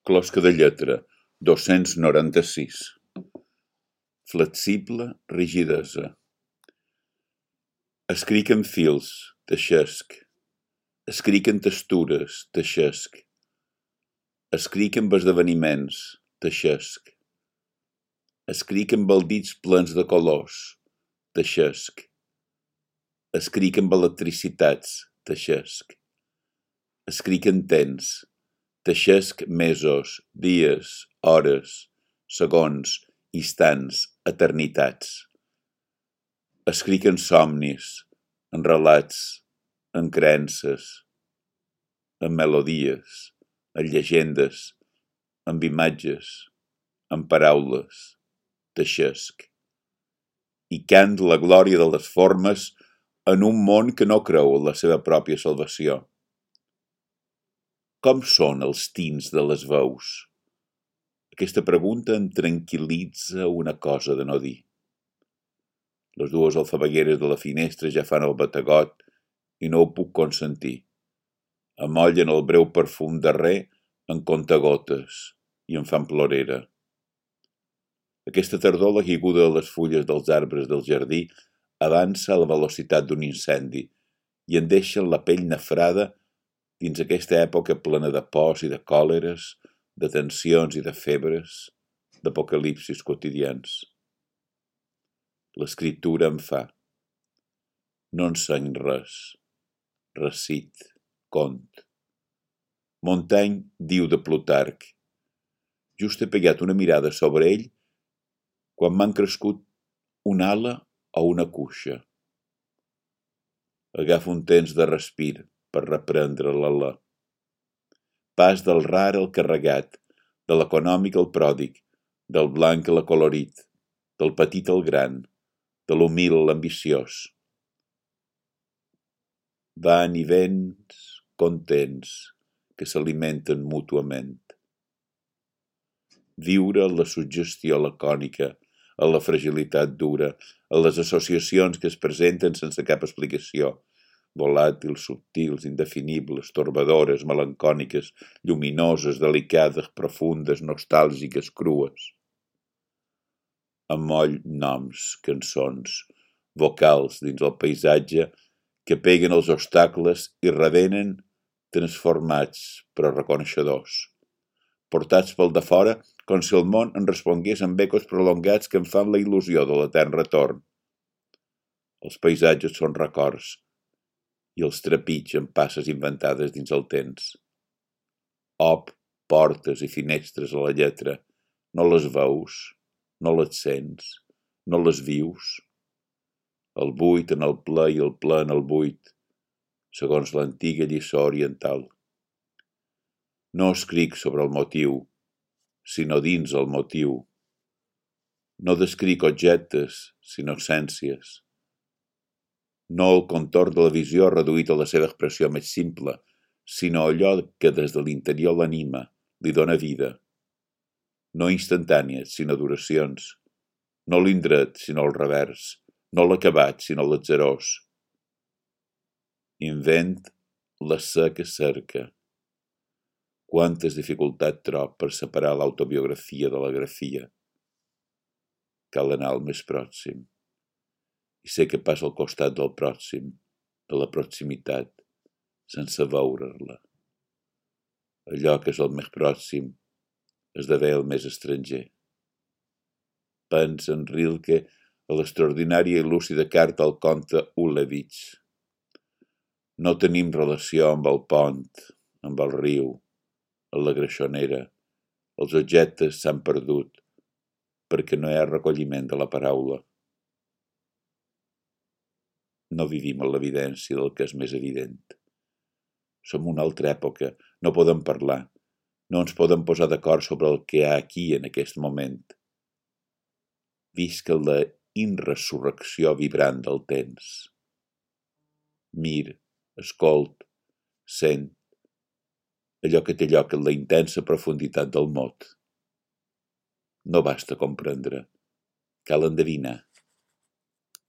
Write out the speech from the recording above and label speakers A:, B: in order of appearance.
A: Closca de lletra, 296. Flexible rigidesa. Escric en fils, teixesc. Escric en textures, teixesc. Escric amb esdeveniments, teixesc. Escric amb baldits plens de colors, teixesc. Escric amb electricitats, teixesc. Escric en temps, teixesc mesos, dies, hores, segons, instants, eternitats. Escric en somnis, en relats, en creences, en melodies, en llegendes, en imatges, en paraules, teixesc. I cant la glòria de les formes en un món que no creu en la seva pròpia salvació. Com són els tints de les veus? Aquesta pregunta em tranquil·litza una cosa de no dir. Les dues alfabegueres de la finestra ja fan el bategot i no ho puc consentir. Amollen el breu perfum darrer en contagotes i em fan plorera. Aquesta tardor la caiguda de les fulles dels arbres del jardí avança a la velocitat d'un incendi i em deixa la pell nafrada dins aquesta època plena de pors i de còleres, de tensions i de febres, d'apocalipsis quotidians. L'escriptura em fa. No enseny res. Recit, cont. Montaigne diu de Plutarc. Just he pegat una mirada sobre ell quan m'han crescut una ala o una cuixa. Agafo un temps de respir per reprendre l'alè. Pas del rar al carregat, de l'econòmic al pròdig, del blanc a l'acolorit, del petit al gran, de l'humil a l'ambiciós. Van i vents contents que s'alimenten mútuament. Viure la suggestió lacònica, a la fragilitat dura, a les associacions que es presenten sense cap explicació, volàtils, subtils, indefinibles, torbadores, melancòniques, lluminoses, delicades, profundes, nostàlgiques, crues. Amoll noms, cançons, vocals dins el paisatge que peguen els obstacles i revenen transformats però reconeixedors, portats pel de fora com si el món en respongués amb ecos prolongats que em fan la il·lusió de l'etern retorn. Els paisatges són records i els trepitgen passes inventades dins el temps. Op, portes i finestres a la lletra, no les veus, no les sents, no les vius. El buit en el ple i el ple en el buit, segons l'antiga lliçó oriental. No escric sobre el motiu, sinó dins el motiu. No descric objectes, sinó essències. No el contorn de la visió reduït a la seva expressió més simple, sinó allò que des de l'interior l'anima, li dóna vida. No instantànies, sinó duracions. No l'indret, sinó el revers. No l'acabat, sinó l'atzarós. Invent la sé que cerca. Quantes dificultats trob per separar l'autobiografia de la grafia. Cal anar al més pròxim. I sé que passa al costat del pròxim, de la proximitat, sense veure-la. Allò que és el més pròxim esdevé el més estranger. Pensa en Rilke a l'extraordinària i lúcida carta al comte Ulevich. No tenim relació amb el pont, amb el riu, amb la greixonera. Els objectes s'han perdut perquè no hi ha recolliment de la paraula. No vivim en l'evidència del que és més evident. Som una altra època, no podem parlar, no ens podem posar d'acord sobre el que hi ha aquí en aquest moment. Visca la inresurrecció vibrant del temps. Mir, escolt, sent, allò que té lloc en la intensa profunditat del mot. No basta comprendre, cal endevinar.